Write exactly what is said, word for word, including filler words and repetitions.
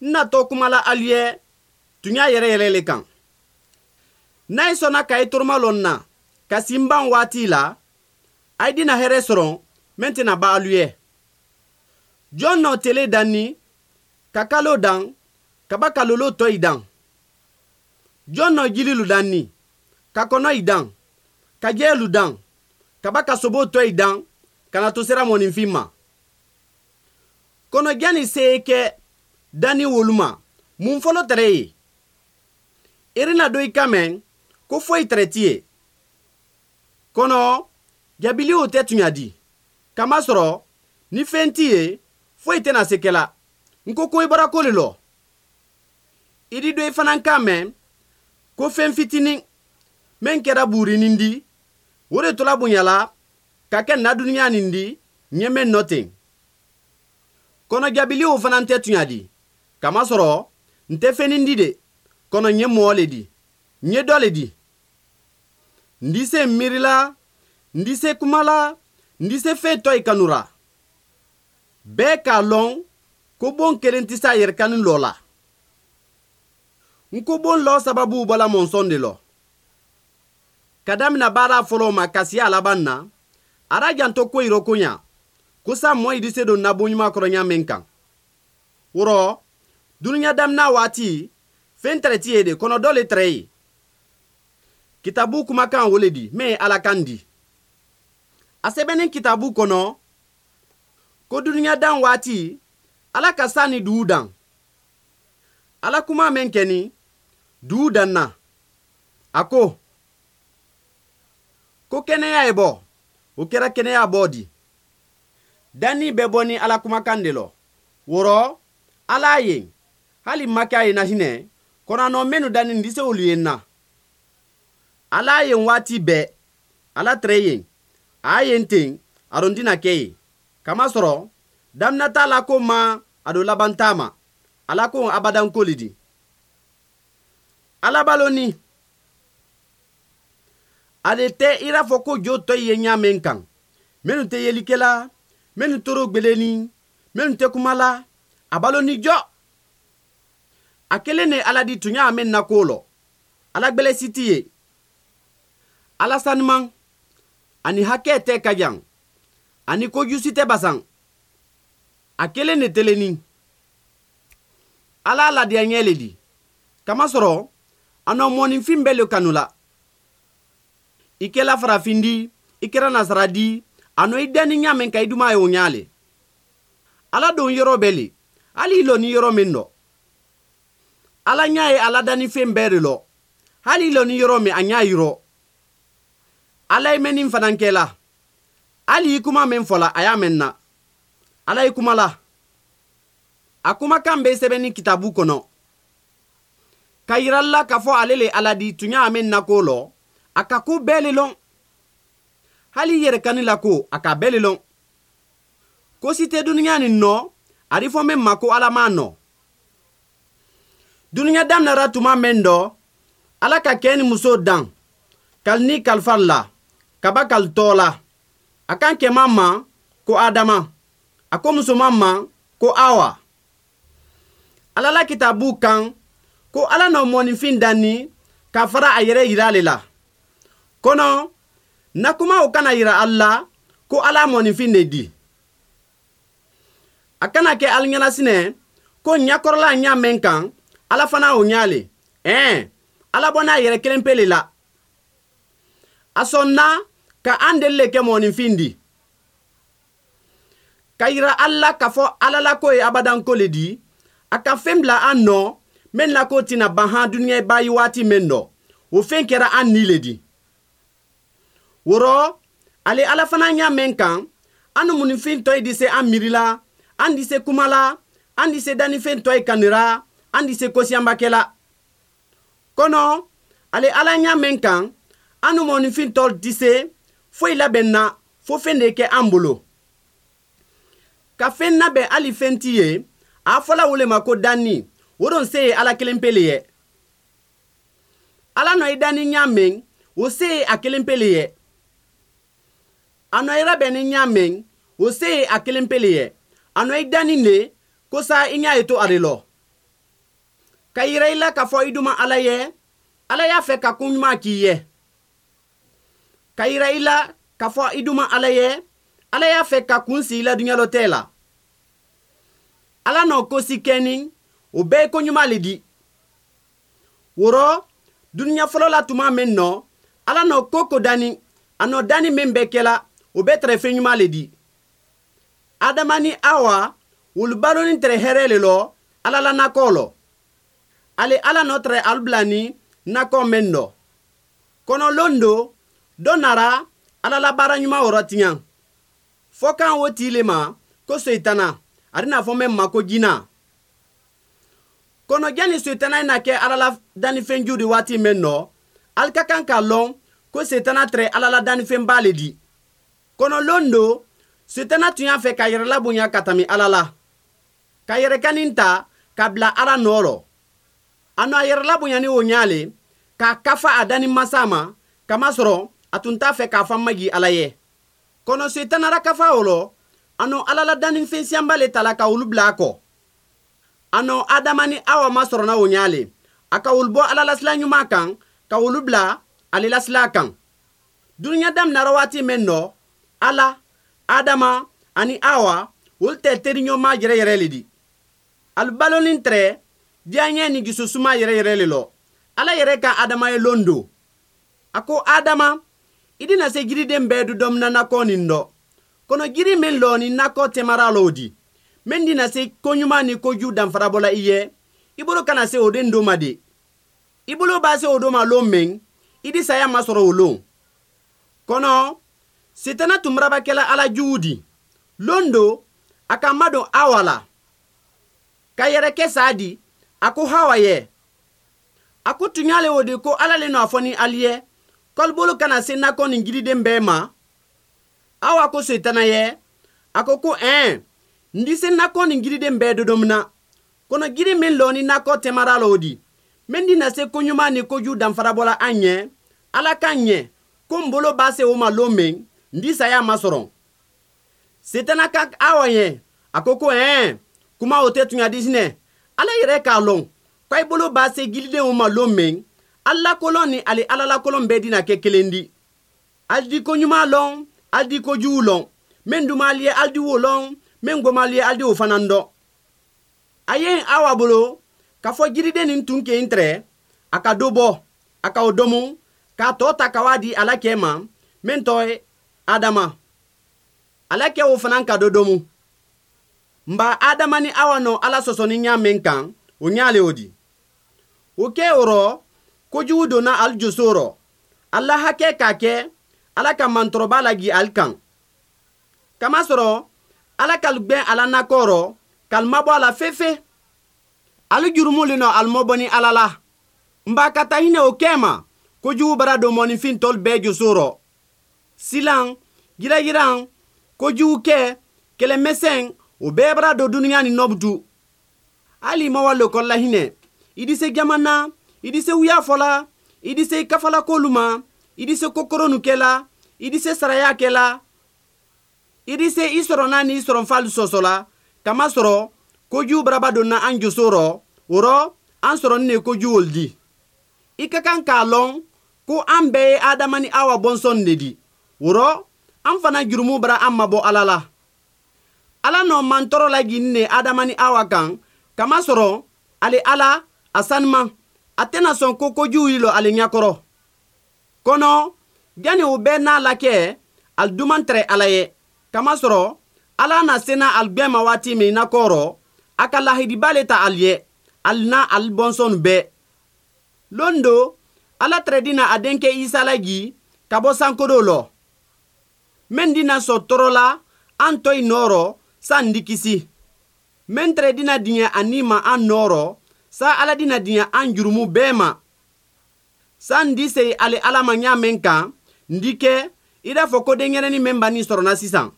N natɔ kuma la alu ye tunya yɛrɛ yɛrɛ le kan. N'a ye sɔnna ka i toroma lɔ n na ka si n ban waati la, a ye dina hɛrɛ sɔrɔ mɛn tɛna ban alu ye. Jɔn nɔ tele danni ka kalo dan ka ba ka lolo tɔ i dan. Jɔn nɔ jirilu danni ka kɔnɔ i dan ka jɛlu dan ka ba ka sobo tɔ i dan ka na to sera mɔninfin ma. Kɔnɔja ni se kɛ danni wolu ma mun fɔlɔ tɛrɛ ye. Irina do i kan mɛn ko foyi tɛrɛ ti ye. Kɔnɔ jabili o tɛ tunya di. Kamasɔrɔ ni fɛn ti ye foyi tɛna se kɛla. N ko ko i bɔra ko le lɔ. I di do i fana kan mɛn ko fɛn fitinin mɛn kɛra buurinin di o de tola bonyala ka kɛ na dunuya nin di ɲɛ mɛn nɔ ten. Kɔnɔ jabili o fana tɛ tunya di. Kamasɔrɔ n tɛ fɛnnin di de. Kɔnɔ ɲɛ mɔɔ le di. Ɲɛ dɔ le di. N di se miiri la, n di se kuma la, n di se fɛn tɔ i kanura. Bɛɛ k'a lɔn ko bon kelen tɛ se a yɛrɛ kanu lɔ la. N ko bon lɔ sababu bɔla mɔnsɔn de lɔ. Ka damina baara fɔlɔ ma ka se a laban na, a ra janto ko yɔrɔ ko ɲa, ko sa mɔɔ i di se don nabon ɲuman kɔrɔ ɲa min kan. Wɔrɔ, dunuya damina waati, fɛn tɛrɛ ti ye de, kɔnɔ dɔ le tɛrɛ ye. Kitabu kumakan wo le di, min ye Ala kan di. A sɛbɛnni kitabu kɔnɔ, ko dunuya dan waati, Ala ka san ni dugu dan. Ala kuma min kɛni, dugu danna. A ko, ko kɛnɛya ye bɔ, o kɛra kɛnɛya bɔ di. Danni bɛ bɔ ni Ala kumakan de lɔ. Wɔrɔ, Ala ye, hali ma kɛ a ye na hinɛ, kɔnɔ minnu danni n tɛ se olu ye na. Ala ye waati bɛɛ, Ala tɛrɛ ye, a ye ten, a don tɛna kɛ ye. Kamasɔrɔ, damina t'a la ko ma, a don laban t'a ma. Ala ko abadan ko le di. Ala balo ni. Ale tɛ i n'a fɔ ko jo tɔ ye ɲa min kan. Minnu tɛ yelikɛla, minnu toro gbeleni, minnu tɛ kuma la, a balo ni jɔ. A kelen de Ala di tunya min na ko lɔ. Ala gbɛlɛsi ti ye. Ala sanuman, ani hakɛ tɛ ka jan, ani kojusi tɛ basan. A kelen de teleni. Ala ladiya ɲɛ le di. Kamasɔrɔ, a nɔ mɔninfin bɛɛ le kanu la. I kɛla farafin di, i kɛra nasara di, a nɔ i danni ɲa min ka i duma ye o ɲa le. Ala don yɔrɔ bɛɛ le, hali i lɔ ni yɔrɔ min dɔ. Ala ɲa ye ala danni fɛn bɛɛ de lɔ, hali i lɔ ni yɔrɔ min a ɲa yirɔ. Ala ye mɛnni fana kɛla, hali i kuma min fɔla a y'a mɛn na. Ala ye kuma la. A kumakan bɛ sɛbɛnni kitabu kɔnɔ. Ka yira la k'a fɔ ale le Ala di tunya min na ko lɔ, a ka ko bɛɛ le lɔn. Hali i yɛrɛ kani la ko, a ka bɛɛ le lɔn. Ko si tɛ dunuya nin nɔ, a di fɔ min ma ko Ala m'a nɔ. Dunuya daminɛra tuma min dɔ, Ala ka kɛ ni muso dan, kali ni kalifa la, kaba kali tɔ la. A kan kɛman ma ko Adama, a ko musoman ma ko Awa. Ala la kitabu kan ko Ala nɔ mɔninfin danni ka fara a yɛrɛ yira ale la. Kɔnɔ, na kuma o kana yira al la ko Ala mɔninfin de di. A kana kɛ al ɲɛnasinɛ ko ɲakɔrɔla ɲa min kan, Ala fana o ɲa le. Ɛn, Ala bɔ n'a yɛrɛ kelen pe le la. A sɔnna ka an deli le kɛ mɔninfin di. Ka yira al la k'a fɔ Ala la ko ye abadan ko le di, a ka fɛn bila an nɔ min la ko tɛna ban han dunuya ba ye waati min dɔ, o fɛn kɛra an ni le di. Wɔrɔ, ale Ala fana ɲa min kan, an mɔninfin tɔ di se an miiri la, an di se kuma la, an di se dannifɛn tɔ kanira, an di se kosiyanbakɛ la. Kɔnɔ, ale Ala ɲa min kan, an mɔninfin tɔ di se foyi labɛn na fo fɛn de kɛ an bolo. Ka fɛn labɛn hali fɛn ti ye, a fɔla wo le ma ko danni, o don se ye Ala kelen pe le ye. Ala nɔ i danni ɲa min, o se ye a kelen pe le ye. A nɔ i labɛnni ɲa min, o se ye a kelen pe le ye. A nɔ i danni le, ko sa i ɲa ye to ale lɔ. Ka yira i la k'a fɔ i duma Ala ye, Ala y'a fɛ ka ko ɲuman k'i ye. Ka yira i la k'a fɔ i duma Ala ye, Ala y'a fɛ ka kun si i la dunuya la. Ala nɔ ko si kɛni, o bɛɛ ye ko ɲuman le di. Woro, dunuya fɔlɔ la tuma min nɔ, Ala nɔ ko ko dani, a nɔ dani min bɛɛ kɛla, o bɛɛ tɛrɛ fɛn ɲuman le di. Adama ni Awa, olu baloni tɛrɛ hɛrɛ le lɔ, Ala la nakɔ lɔ. Ale Ala nɔ tɛrɛ alu bila ni nakɔ min nɔ. Kɔnɔ lon do, dɔ nara Ala la baara ɲuman wɔrɔ tiɲɛ. Fɔ kan o tii le ma ko Seitana, a bɛna fɔ mɛn ma ko jina. Kɔnɔ janni Seitana na kɛ Ala la dannifɛn ju di waati min nɔ, ali ka kan k'a lɔn ko Seitana tɛrɛ Ala la dannifɛnba le di. Kɔnɔ lon do, Seitana tun y'a fɛ ka yɛrɛ labonya ka tɛmɛ Ala la. Ka yɛrɛkanin ta ka bila Ala nɔ rɔ. A nɔ a yɛrɛ labonya ni o ɲa le, k'a kafa a danni masa ma, kamasɔrɔ a tun t'a fɛ k'a fa magi Ala ye. Kɔnɔ Seitana la kafa o lɔ, a nɔ Ala la dannifɛn siyanba le tala ka olu bila a kɔ. A nɔ Adama ni Awa ma sɔrɔ na o ɲa le, a ka olu bɔ Ala la sila ɲuman kan, ka olu bila ale la sila kan. Dunuya daminɛra waati min nɔ, Ala, Adama ani Awa, olu tɛ teriɲɔgɔnma yɛrɛ yɛrɛ le di. Alu balonin tɛrɛ diyaɲɛ ni jususuma yɛrɛ yɛrɛ le lɔ. Ala yɛrɛ ka Adama ye lon do. A ko Adama, i dina se jiriden bɛɛ du dɔmina nakɔ nin dɔ. Kɔnɔ jiri min lɔ ni nakɔ tɛmara lɔ o di. Min dina se koɲuman ni kojugu danfara bɔla i ye, i bolo kana se o den do ma de. I bolo b'a se o do ma lon min, i di saya masɔrɔ o lon. Kɔnɔ, Sitana tun marabakɛla Ala jugu di. Lon do, a ka madon Awa la. Ka yɛrɛ kɛ saa di, a ko Hawa ye. A ko tun y'ale o de ko Ala le nɔ a fɔ ni ali ye, k'alu bolo kana se nakɔ nin jiriden bɛɛ ma. Awa ko Setana ye, a ko ko ɛn, n di se nakɔ nin jiriden bɛɛ dodomina. Kɔnɔ jiri min lɔ ni nakɔ tɛmara la o di. Min di na se koɲuman ni kojugu danfara bɔla an ɲɛ, Ala k'an ɲɛ, ko n bolo b'a se o ma lon min, n di saya ma sɔrɔ. Setana ka Awa ye, a ko ko ɛn, kuma o tɛ tunya disinɛ. Ala yɛrɛ k'a lɔn, k'a bolo b'a se jiridenw ma lon min, Ala kolon ni ale Ala la kolon bɛɛ dina kɛ kelen di. Ali di ko ɲuman lɔn, ali di ko jugu lɔn. Min duman ye ali di wo lɔn, min goman ye ali di o fana dɔn. A ye Awa bolo, k'a fɔ jiriden nin tun kɛ n tɛrɛ, a ka dɔ bɔ, a ka o domu, k'a tɔ ta ka waa di Ala kɛ ma, min tɔ ye Adama. Ala kɛ o fana ka dɔ domu. Nba Adama ni Awa nɔ Ala sɔsɔ ni ɲa min kan, o ɲa le o di. O kɛ o rɔ, kojugu donna ali joso rɔ. Ala hakɛ k'a kɛ, Ala ka mantɔrɔba lagi ali kan. Kamasɔrɔ, Ala k'alu gbɛn ala nakɔ rɔ, k'alu mabɔ a la fefe. Ali jurumu le nɔ alu mɔbɔ ni Ala la. Nba ka taa hinɛ o kɛ ma, kojugu bara don mɔnifin tɔlu bɛɛ joso rɔ. Silan, yirayiran, kojugu kɛ, kɛlɛmɛsɛn, o bɛɛ bara don dunuya ni nɔbutu. Hali ma wa lekɔli la hinɛ, i di se jamana, i di se wuya fɔla, i di se kafala kolu ma, i di se kokoronu kɛla, i di se saraya kɛla, i di se i sɔrɔ n'a ni i sɔrɔ falu sɔsɔ la, kamasɔrɔ kojugu baraba donna an joso rɔ, o rɔ an sɔrɔ ni ne kojugu olu di. I ka kan k'a lɔn ko an bɛɛ ye Adama ni Awa bɔnsɔn de di. O rɔ an fana jurumu bara an mabɔ Ala la. Ala nɔ mantɔrɔ lajigin ne Adama ni Awa kan, kamasɔrɔ ale Ala a sanuma, a tɛna sɔn ko kojugu yi lɔ ale ɲɛkɔrɔ. Kɔnɔ, yanni o bɛɛ n'a la kɛ, ali duman tɛrɛ Ala ye. Kamasɔrɔ, Ala na sena ali gbɛn ma waati min nakɔ rɔ, a ka lahidiba le ta ali ye, ali n'a ali bɔnsɔn bɛɛ. Lon do, Ala tɛrɛ dina a denkɛ Isa lagi ka bɔ sankodo lɔ. Min dina sɔn tɔɔrɔ la, an tɔ i nɔ san di kisi. Min tɛrɛ dina diɲɛ a ni ma an nɔ sa Ala dina diɲɛ an jurumu bɛɛ ma. San di se ale Ala ma ɲa min kan, n di kɛ i n'a fɔ ko denyɛrɛnin min b'a ni sɔrɔ na sisan.